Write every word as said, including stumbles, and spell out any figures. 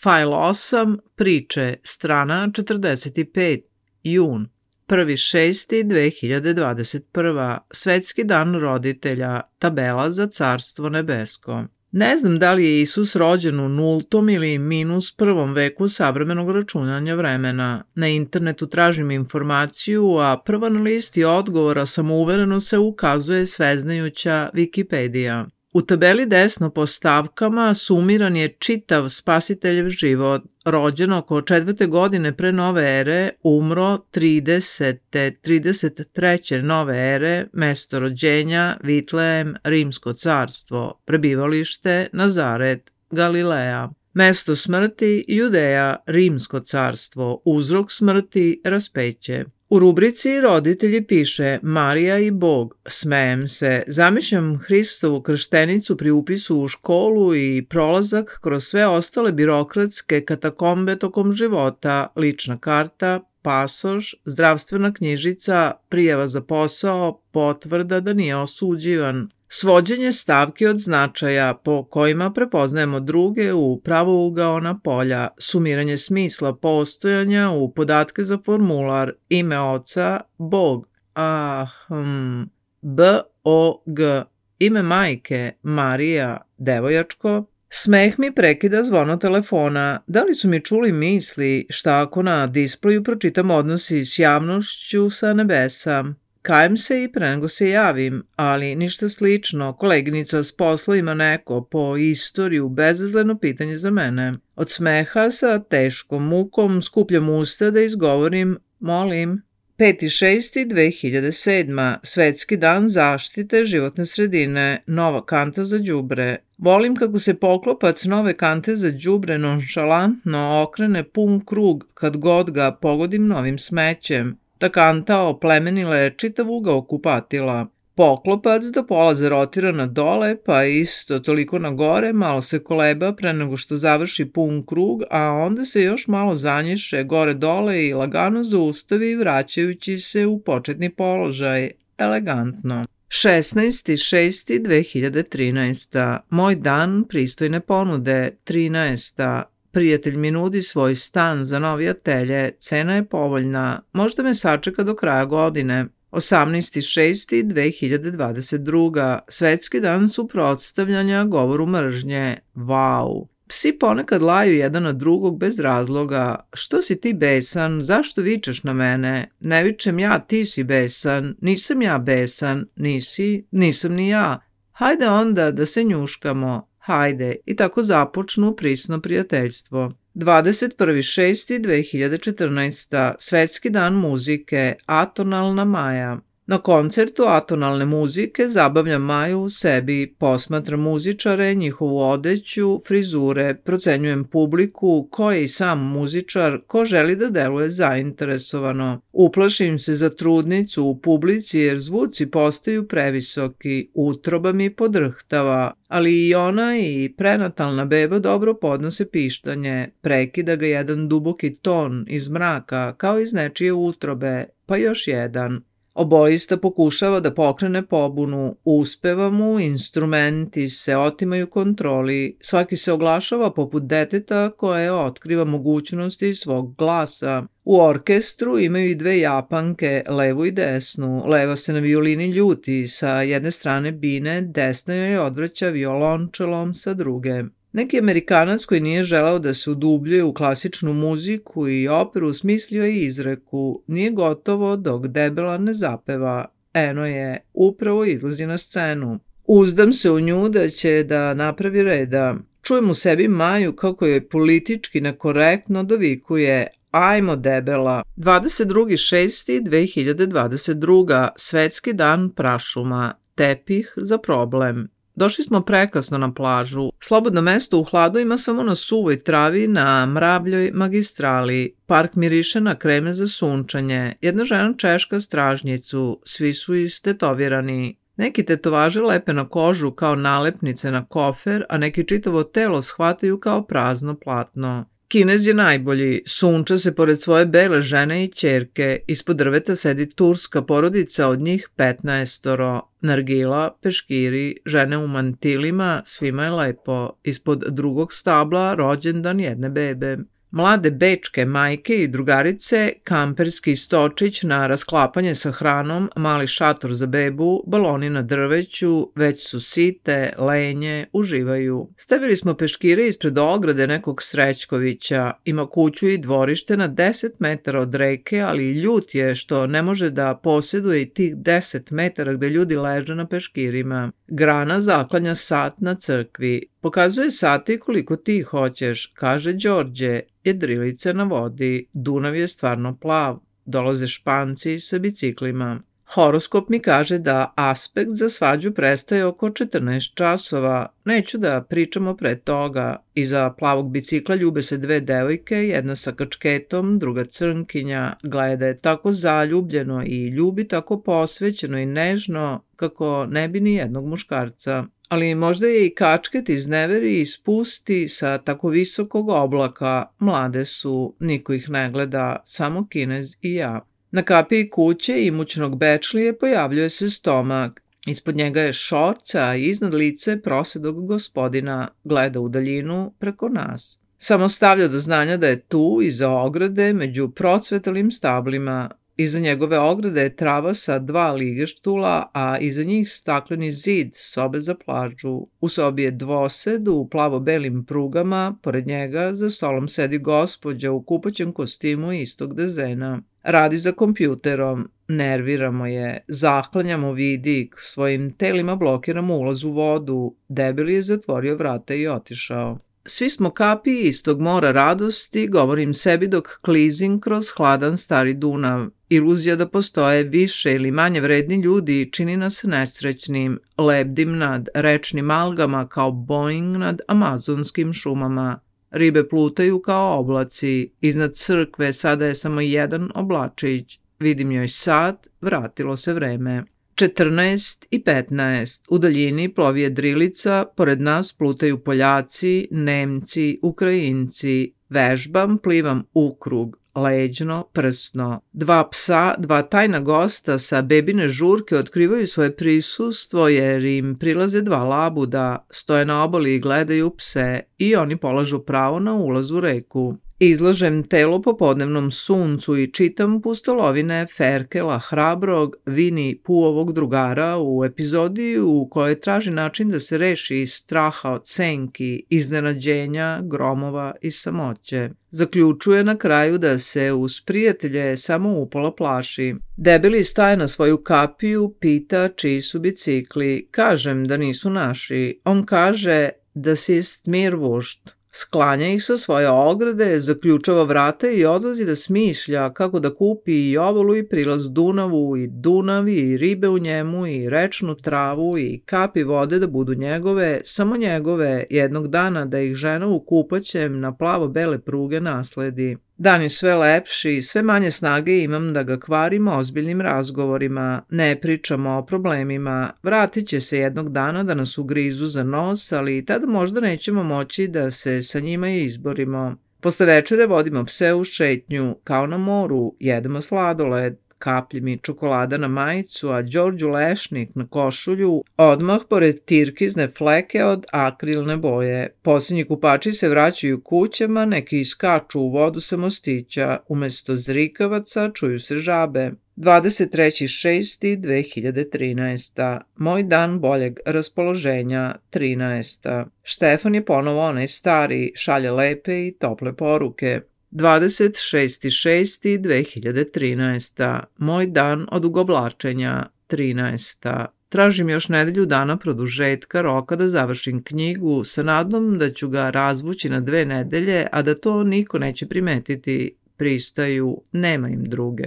Fajl osam, priče, strana četrdeset pet, jun, prvi šesti dve hiljade dvadeset prva, Svetski dan roditelja, tabela za Carstvo nebesko. Ne znam da li je Isus rođen u nultom ili minus prvom veku savremenog računanja vremena. Na internetu tražim informaciju, a prva na listi odgovora samouvereno se ukazuje sveznajuća Wikipedija. U tabeli desno po stavkama sumiran je čitav Spasiteljev život. Rođen oko četvrte godine pre nove ere, umro tridesete, trideset treće nove ere, mesto rođenja Vitlejem, Rimsko carstvo, prebivalište Nazaret, Galileja. Mesto smrti Judeja, Rimsko carstvo, uzrok smrti raspeće. U rubrici roditelji piše Marija i Bog. Smejem se, zamišljam Hristovu krštenicu pri upisu u školu i prolazak kroz sve ostale birokratske katakombe tokom života, lična karta, pasoš, zdravstvena knjižica, prijava za posao, potvrda da nije osuđivan. Svođenje stavki od značaja po kojima prepoznajemo druge u pravougaona polja, sumiranje smisla postojanja u podatke za formular, ime oca, Bog, a, hm, B O G, ime majke, Marija, devojačko. Smeh mi prekida zvono telefona. Da li su mi čuli misli šta ako na displeju pročitam odnosi s javnošću sa nebesa? Kajem se i pre nego se javim, ali ništa slično. Koleginica s posla ima neko po istoriju bezazleno pitanje za mene. Od smeha sa teškom mukom skupljam usta da izgovorim molim. peti šesti dve hiljade sedma. Svetski dan zaštite životne sredine. Nova kanta za đubre. Volim kako se poklopac nove kante za đubre nonšalantno okrene pun krug kad god ga pogodim novim smećem. Ta kanta oplemenila je čitav ugao kupatila. Poklopac do pola zarotira na dole, pa isto toliko na gore, malo se koleba pre nego što završi pun krug, a onda se još malo zanjiše gore dole i lagano zaustavi vraćajući se u početni položaj. Elegantno. šesnaesti šesti dve hiljade trinaesta. Moj dan pristojne ponude. trinaesta. Prijatelj mi nudi svoj stan za novi atelje, cena je povoljna, možda me sačeka do kraja godine. osamnaesti šesti dve hiljade dvadeset druga. Svetski dan suprotstavljanja govoru mržnje. Vau! Psi ponekad laju jedan na drugog bez razloga. Što si ti besan? Zašto vičeš na mene? Ne vičem ja, ti si besan. Nisam ja besan. Nisi? Nisam ni ja. Hajde onda da se njuškamo. Hajde, i tako započnu prisno prijateljstvo. dvadeset prvi šesti dve hiljade četrnaesta. Svetski dan muzike, atonalna Maja. Na koncertu atonalne muzike zabavljam Maju u sebi, posmatram muzičare, njihovu odeću, frizure, procenjujem publiku, ko je i sam muzičar, ko želi da deluje zainteresovano. Uplašim se za trudnicu u publici jer zvuci postaju previsoki, utroba mi podrhtava, ali i ona i prenatalna beba dobro podnose pištanje, prekida ga jedan duboki ton iz mraka kao iz nečije utrobe, pa još jedan. Oboista pokušava da pokrene pobunu, uspeva mu, instrumenti se otimaju kontroli, svaki se oglašava poput deteta koje otkriva mogućnosti svog glasa. U orkestru imaju i dve Japanke, levu i desnu. Leva se na violini ljuti, sa jedne strane bine, desna joj odvraća violončelom sa druge. Neki Amerikanac koji nije želeo da se udubljuje u klasičnu muziku i operu smislio je izreku "Nije gotovo dok debela ne zapeva". Eno je, upravo izlazi na scenu. Uzdam se u nju da će da napravi reda. Čujem u sebi Maju kako je politički nekorektno dovikuje "Ajmo debela". dvadeset drugi šesti dve hiljade dvadeset druga. Svetski dan prašuma. Tepih za problem. Došli smo prekasno na plažu. Slobodno mesto u hladu ima samo na suvoj travi na mravljoj magistrali. Park miriše na kreme za sunčanje. Jedna žena češka stražnjicu. Svi su istetovirani. Neki tetovaže lepe na kožu kao nalepnice na kofer, a neki čitavo telo shvataju kao prazno platno. Kinez je najbolji, sunča se pored svoje bele žene i ćerke, ispod drveta sedi turska porodica od njih petnaestoro, nargila, peškiri, žene u mantilima, svima je lepo, ispod drugog stabla rođendan jedne bebe. Mlade bečke majke i drugarice, kamperski stočić na rasklapanje sa hranom, mali šator za bebu, baloni na drveću, već su site, lenje, uživaju. Stavili smo peškire ispred ograde nekog Srećkovića, ima kuću i dvorište na deset metara od reke, ali ljut je što ne može da posjeduje i tih deset metara gde ljudi leže na peškirima. Grana zaklanja sat na crkvi. Pokazuje sati koliko ti hoćeš, kaže Đorđe, jedrilica na vodi, Dunav je stvarno plav, dolaze Španci sa biciklima. Horoskop mi kaže da aspekt za svađu prestaje oko četrnaest časova, neću da pričamo pre toga. Iza plavog bicikla ljube se dve devojke, jedna sa kačketom, druga crnkinja, gleda je tako zaljubljeno i ljubi tako posvećeno i nežno kako ne bi ni jednog muškarca. Ali možda je i kačket izneveri i spusti sa tako visokog oblaka, mlade su, niko ih ne gleda, samo Kinez i ja. Na kapiji kuće imućnog bečlije pojavljuje se stomak. Ispod njega je šorca, a iznad lice prosedog gospodina, gleda u daljinu preko nas. Samo stavlja do znanja da je tu, iza ograde, među procvetalim stablima. Iza njegove ograde je trava sa dva ligeštula, a iza njih stakleni zid, sobe za plažu. U sobi je dvosed u plavo-belim prugama, pored njega za stolom sedi gospođa u kupaćem kostimu istog dezena. Radi za kompjuterom, nerviramo je, zaklanjamo vidik, svojim telima blokiramo ulaz u vodu, debeli je zatvorio vrata i otišao. Svi smo kapiji istog mora radosti, govorim sebi dok klizim kroz hladan stari Dunav. Iluzija da postoje više ili manje vredni ljudi čini nas nesrećnim, lebdim nad rečnim algama kao Boeing nad amazonskim šumama. Ribe plutaju kao oblaci, iznad crkve sada je samo jedan oblačić. Vidim joj sat, vratilo se vreme. četrnaest i petnaest, u daljini plovi jedrilica, pored nas plutaju Poljaci, Nemci, Ukrajinci. Vežbam, plivam ukrug, leđno, prsno. Dva psa, dva tajna gosta sa bebine žurke otkrivaju svoje prisustvo jer im prilaze dva labuda, stoje na obali i gledaju pse i oni polažu pravo na ulaz u reku. Izlažem telo popodnevnom suncu i čitam pustolovine Ferkela Hrabrog, Vini Puovog drugara u epizodi u kojoj traži način da se reši straha od senki, iznenađenja, gromova i samoće. Zaključuje na kraju da se uz prijatelje samo upola plaši. Debeli staje na svoju kapiju, pita čiji su bicikli. Kažem da nisu naši. On kaže da si ist mir wurscht. Sklanja ih sa svoje ograde, zaključava vrata i odlazi da smišlja kako da kupi i ovalu i prilaz Dunavu i Dunav i ribe u njemu i rečnu travu i kapi vode da budu njegove, samo njegove, jednog dana da ih žena u kupaćem na plavo-bele pruge nasledi. Dan je sve lepši, sve manje snage imam da ga kvarim ozbiljnim razgovorima, ne pričamo o problemima, vratit će se jednog dana da nas ugrizu za nos, ali tada možda nećemo moći da se sa njima izborimo. Posle večere vodimo pse u šetnju, kao na moru, jedemo sladoled, kaplji mi čokolada na majicu, a Đorđu lešnik na košulju, odmah pored tirkizne fleke od akrilne boje. Posljednji kupači se vraćaju kućama, neki iskaču u vodu sa mostića, umesto zrikavaca čuju se žabe. dvadeset treći šesti dve hiljade trinaeste. Moj dan boljeg raspoloženja, trinaesta. Štefan je ponovo onaj stari, šalje lepe i tople poruke. dvadeset šesti šesti dve hiljade trinaeste. Moj dan odugovlačenja, trinaesta. Tražim još nedelju dana produžetka roka da završim knjigu sa nadom da ću ga razvući na dve nedelje, a da to niko neće primetiti. Pristaju, nema im druge.